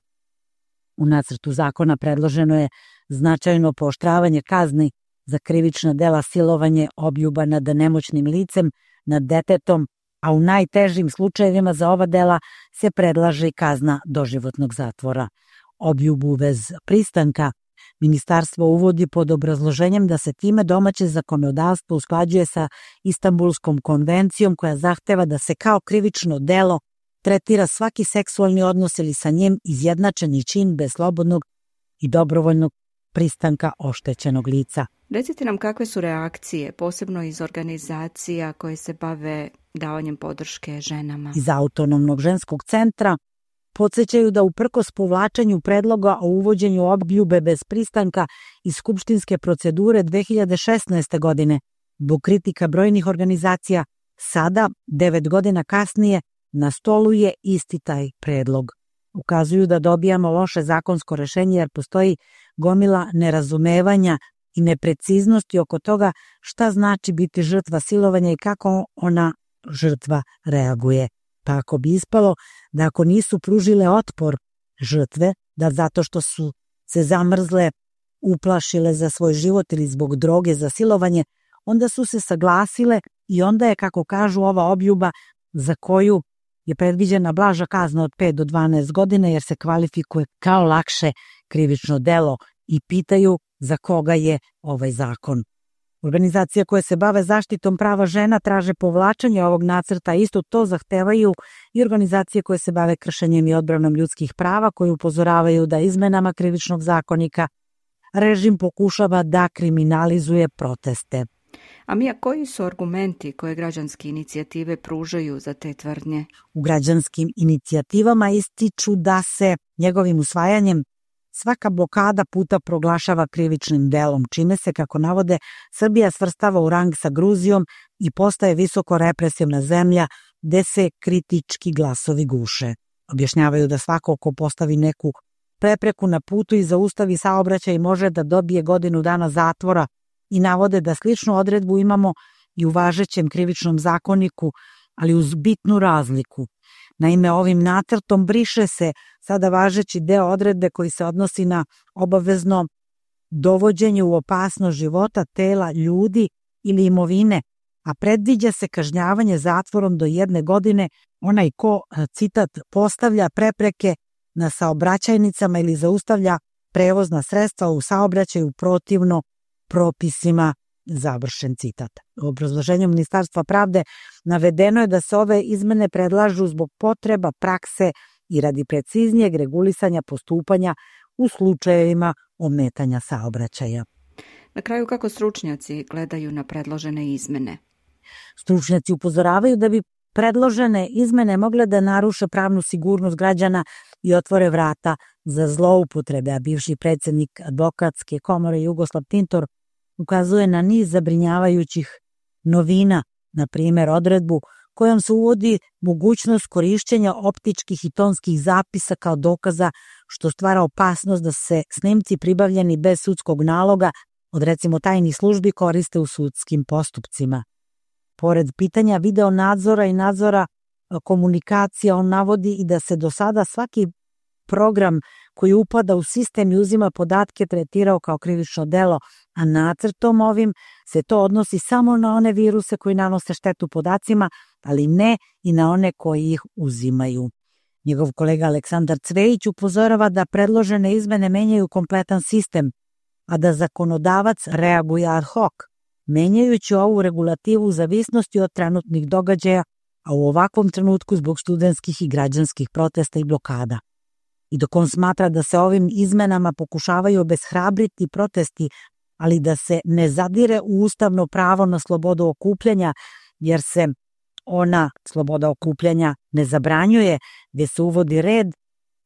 U nacrtu zakona predloženo je značajno pooštravanje kazni za krivična dela silovanje, obljuba nad nemoćnim licem, nad detetom, a u najtežim slučajevima za ova dela se predlaže i kazna doživotnog zatvora. Obljubu bez pristanka ministarstvo uvodi pod obrazloženjem da se time domaće zakonodavstvo usklađuje sa Istanbulskom konvencijom, koja zahteva da se kao krivično delo tretira svaki seksualni odnos ili sa njim izjednačeni čin bez slobodnog i dobrovoljnog pristanka oštećenog lica. Recite nam kakve su reakcije, posebno iz organizacija koje se bave davanjem podrške ženama. Iz Autonomnog ženskog centra podsjećaju da uprkos povlačenju predloga o uvođenju obljube bez pristanka iz skupštinske procedure dve hiljade šesnaeste. godine, zbog kritika brojnih organizacija, sada, devet godina kasnije, na stolu je isti taj predlog. Ukazuju da dobijamo loše zakonsko rešenje jer postoji gomila nerazumevanja i nepreciznosti oko toga šta znači biti žrtva silovanja i kako ona žrtva reaguje. Tako bi ispalo da ako nisu pružile otpor žrtve, da zato što su se zamrzle, uplašile za svoj život ili zbog droge za silovanje, onda su se saglasile i onda je, kako kažu, ova obljuba za koju je predviđena blaža kazna od pet do dvanaest godina jer se kvalifikuje kao lakše krivično delo, i pitaju za koga je ovaj zakon. Organizacije koje se bave zaštitom prava žena traže povlačenje ovog nacrta, isto to zahtevaju i organizacije koje se bave kršenjem i odbranom ljudskih prava, koje upozoravaju da izmenama krivičnog zakonika režim pokušava da kriminalizuje proteste. A Mija, koji su argumenti koje građanske inicijative pružaju za te tvrdnje? U građanskim inicijativama ističu da se njegovim usvajanjem svaka blokada puta proglašava krivičnim delom, čime se, kako navode, Srbija svrstava u rang sa Gruzijom i postaje visoko represivna zemlja gde se kritički glasovi guše. Objašnjavaju da svako ko postavi neku prepreku na putu i zaustavi saobraćaj može da dobije godinu dana zatvora i navode da sličnu odredbu imamo i u važećem krivičnom zakoniku, ali uz bitnu razliku. Naime, ovim nacrtom briše se sada važeći deo odredbe koji se odnosi na obavezno dovođenje u opasnost života, tela, ljudi ili imovine, a predviđa se kažnjavanje zatvorom do jedne godine onaj ko, citat, postavlja prepreke na saobraćajnicama ili zaustavlja prevozna sredstva u saobraćaju protivno propisima, završen citat. U obrazloženju Ministarstva pravde navedeno je da se ove izmene predlažu zbog potreba prakse i radi preciznijeg regulisanja postupanja u slučajevima ometanja saobraćaja. Na kraju, kako stručnjaci gledaju na predložene izmene? Stručnjaci upozoravaju da bi predložene izmene mogle da naruše pravnu sigurnost građana i otvore vrata za zloupotrebe, a bivši predsjednik advokatske komore Jugoslav Tintor ukazuje na niz zabrinjavajućih novina, na primjer odredbu kojom se uvodi mogućnost korišćenja optičkih i tonskih zapisa kao dokaza, što stvara opasnost da se snimci pribavljeni bez sudskog naloga od recimo tajnih službi koriste u sudskim postupcima. Pored pitanja video nadzora i nadzora komunikacija, on navodi i da se do sada svaki program koji upada u sistem i uzima podatke tretirao kao krivično delo, a nacrtom ovim se to odnosi samo na one viruse koji nanose štetu podacima, ali ne i na one koji ih uzimaju. Njegov kolega Aleksandar Cvejić upozorava da predložene izmene menjaju kompletan sistem, a da zakonodavac reaguje ad hoc, menjajući ovu regulativu u zavisnosti od trenutnih događaja, a u ovakvom trenutku zbog studentskih i građanskih protesta i blokada. I dok on smatra da se ovim izmenama pokušavaju obeshrabriti protesti, ali da se ne zadire u ustavno pravo na slobodu okupljanja, jer se ona, sloboda okupljanja, ne zabranjuje, gdje se uvodi red,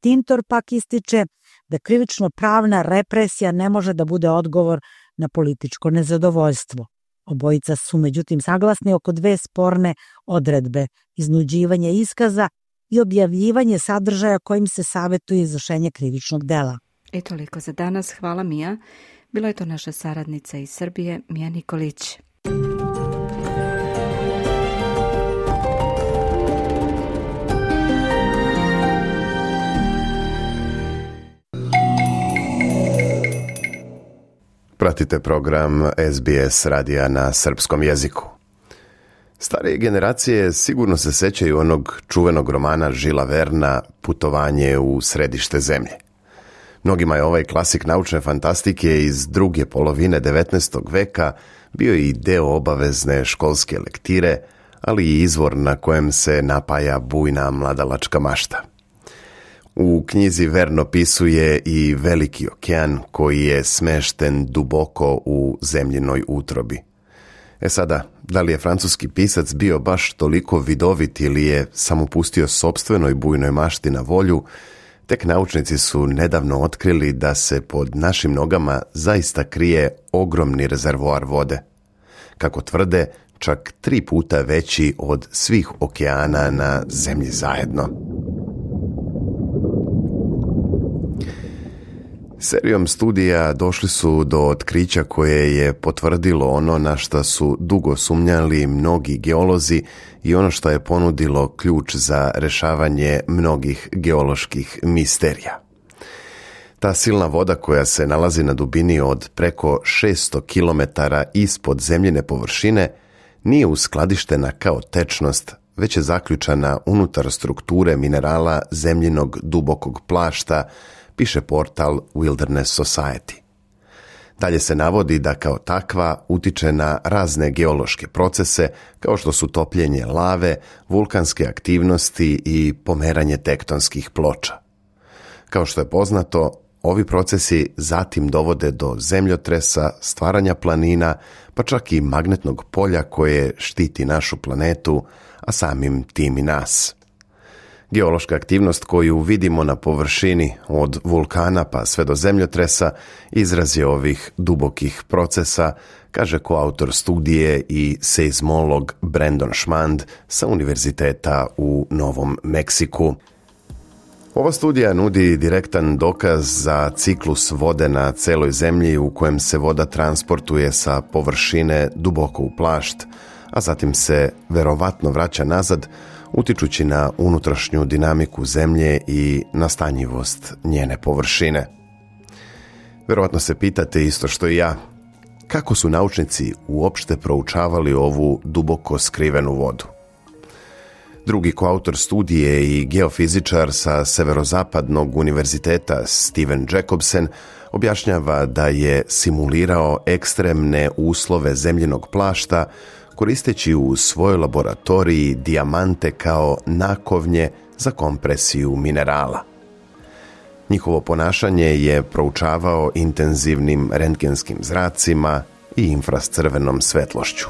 Tintor pak ističe da krivično pravna represija ne može da bude odgovor na političko nezadovoljstvo. Obojica su međutim saglasni oko dve sporne odredbe, iznuđivanje iskaza i objavljivanje sadržaja kojim se savjetuje izvršenje krivičnog dela. I toliko za danas. Hvala, Mija. Bila je to naša saradnica iz Srbije, Mija Nikolić. Pratite program S B S radija na srpskom jeziku. Starije generacije sigurno se sećaju onog čuvenog romana Žila Verna Putovanje u središte zemlje. Mnogima je ovaj klasik naučne fantastike iz druge polovine devetnaestog veka bio i deo obavezne školske lektire, ali i izvor na kojem se napaja bujna mladalačka mašta. U knjizi Vern opisuje i veliki okean koji je smešten duboko u zemljinoj utrobi. E sada, da li je francuski pisac bio baš toliko vidovit ili je samo pustio sopstvenoj bujnoj mašti na volju, tek naučnici su nedavno otkrili da se pod našim nogama zaista krije ogromni rezervoar vode. Kako tvrde, čak tri puta veći od svih okeana na zemlji zajedno. Serijom studija došli su do otkrića koje je potvrdilo ono na što su dugo sumnjali mnogi geolozi i ono što je ponudilo ključ za rešavanje mnogih geoloških misterija. Ta silna voda koja se nalazi na dubini od preko šesto kilometara ispod zemljine površine nije uskladištena kao tečnost, već je zaključana unutar strukture minerala zemljinog dubokog plašta, piše portal Wilderness Society. Dalje se navodi da kao takva utiče na razne geološke procese kao što su topljenje lave, vulkanske aktivnosti i pomeranje tektonskih ploča. Kao što je poznato, ovi procesi zatim dovode do zemljotresa, stvaranja planina, pa čak i magnetnog polja koje štiti našu planetu, a samim tim i nas. Geološka aktivnost koju vidimo na površini od vulkana pa sve do zemljotresa izraz je ovih dubokih procesa, kaže koautor studije i seizmolog Brandon Schmand sa Univerziteta u Novom Meksiku. Ova studija nudi direktan dokaz za ciklus vode na celoj zemlji u kojem se voda transportuje sa površine duboko u plašt, a zatim se verovatno vraća nazad, utičući na unutrašnju dinamiku zemlje i nastanjivost njene površine. Verovatno se pitate isto što i ja, kako su naučnici uopšte proučavali ovu duboko skrivenu vodu? Drugi koautor studije i geofizičar sa Severozapadnog univerziteta Steven Jacobsen objašnjava da je simulirao ekstremne uslove zemljinog plašta koristeći u svojoj laboratoriji dijamante kao nakovnje za kompresiju minerala. Njihovo ponašanje je proučavao intenzivnim rentgenskim zracima i infracrvenom svetlošću.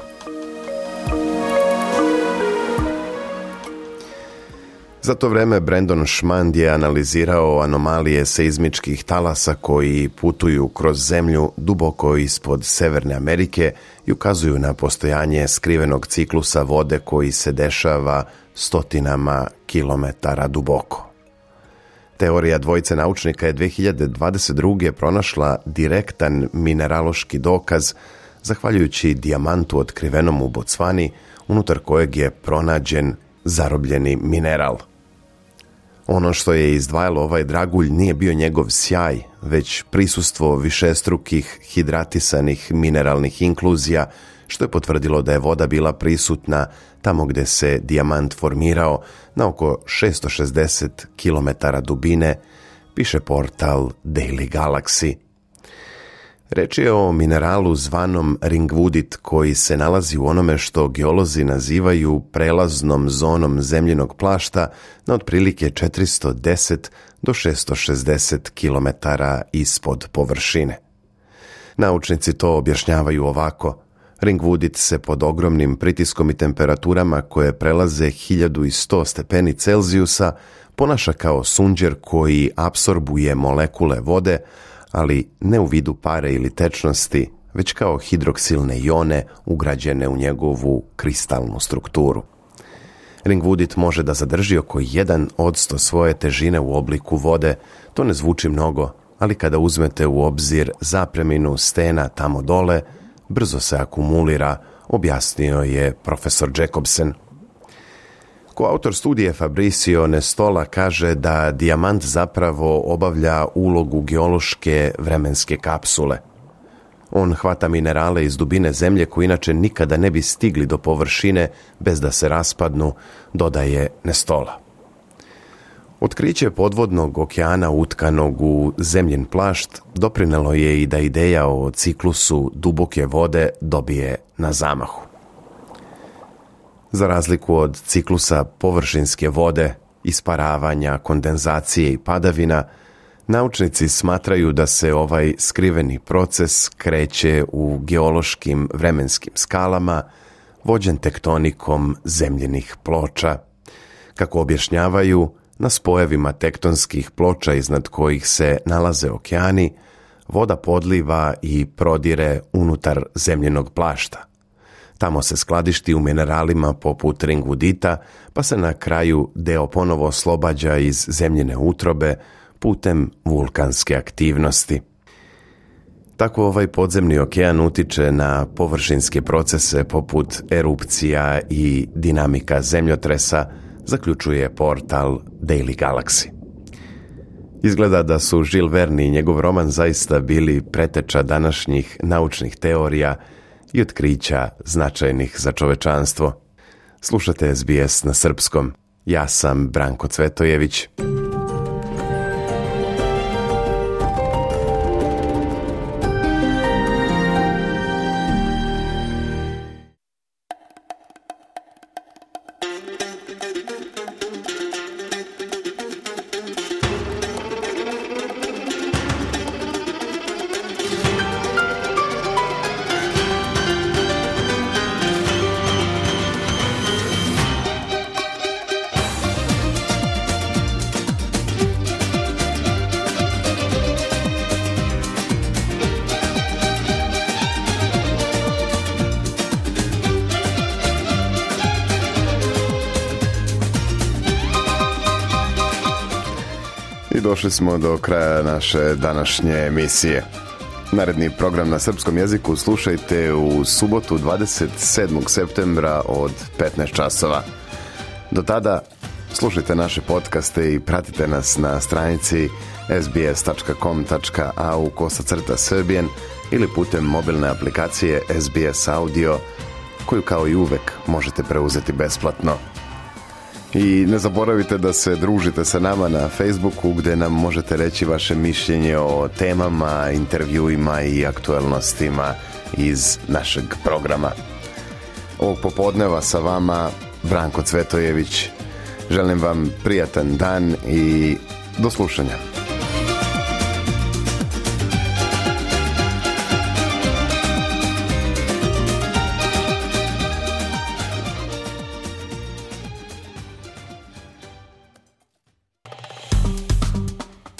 Za to vreme Brandon Schmand je analizirao anomalije seizmičkih talasa koji putuju kroz zemlju duboko ispod Severne Amerike i ukazuju na postojanje skrivenog ciklusa vode koji se dešava stotinama kilometara duboko. Teorija dvojice naučnika je dve hiljade dvadeset druge. pronašla direktan mineraloški dokaz zahvaljujući dijamantu otkrivenom u Bocvani, unutar kojeg je pronađen zarobljeni mineral. Ono što je izdvajalo ovaj dragulj nije bio njegov sjaj, već prisustvo višestrukih hidratisanih mineralnih inkluzija, što je potvrdilo da je voda bila prisutna tamo gde se dijamant formirao na oko šesto šezdeset kilometara dubine, piše portal Daily Galaxy. Reč je o mineralu zvanom ringwoodit koji se nalazi u onome što geolozi nazivaju prelaznom zonom zemljinog plašta na otprilike četiristo deset do šesto šezdeset kilometara ispod površine. Naučnici to objašnjavaju ovako. Ringwoodit se pod ogromnim pritiskom i temperaturama koje prelaze hiljadu sto stepeni Celzijusa ponaša kao sunđer koji apsorbuje molekule vode, ali ne u vidu pare ili tečnosti, već kao hidroksilne ione ugrađene u njegovu kristalnu strukturu. Ringwoodit može da zadrži oko jedan odsto svoje težine u obliku vode. To ne zvuči mnogo, ali kada uzmete u obzir zapreminu stena tamo dole, brzo se akumulira, objasnio je profesor Jacobsen. Koautor studije Fabricio Nestola kaže da dijamant zapravo obavlja ulogu geološke vremenske kapsule. On hvata minerale iz dubine zemlje koji inače nikada ne bi stigli do površine bez da se raspadnu, dodaje Nestola. Otkriće podvodnog okeana utkanog u zemljin plašt doprinelo je i da ideja o ciklusu duboke vode dobije na zamahu. Za razliku od ciklusa površinske vode, isparavanja, kondenzacije i padavina, naučnici smatraju da se ovaj skriveni proces kreće u geološkim vremenskim skalama, vođen tektonikom zemljinih ploča. Kako objašnjavaju, na spojevima tektonskih ploča iznad kojih se nalaze okeani, voda podliva i prodire unutar zemljinog plašta. Tamo se skladišti u mineralima poput ringwoodita, pa se na kraju deo ponovo oslobađa iz zemljine utrobe putem vulkanske aktivnosti. Tako ovaj podzemni okean utiče na površinske procese poput erupcija i dinamika zemljotresa, zaključuje portal Daily Galaxy. Izgleda da su Jules Verne i njegov roman zaista bili preteča današnjih naučnih teorija i otkrića značajnih za čovečanstvo. Slušate S B S na srpskom. Ja sam Branko Cvetojević. I došli smo do kraja naše današnje emisije. Naredni program na srpskom jeziku slušajte u subotu dvadeset sedmog septembra od petnaest časova. Do tada slušajte naše podcaste i pratite nas na stranici es bi es tačka com tačka a u kosacrta Serbian ili putem mobilne aplikacije es bi es Audio, koju kao i uvek možete preuzeti besplatno. I ne zaboravite da se družite sa nama na Facebooku, gde nam možete reći vaše mišljenje o temama, intervjuima i aktuelnostima iz našeg programa. Ovog popodneva sa vama Branko Cvetojević. Želim vam prijatan dan i do slušanja.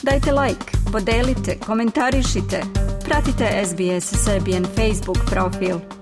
Dajte like, podelite, komentarišite, pratite es bi es Serbian Facebook profil.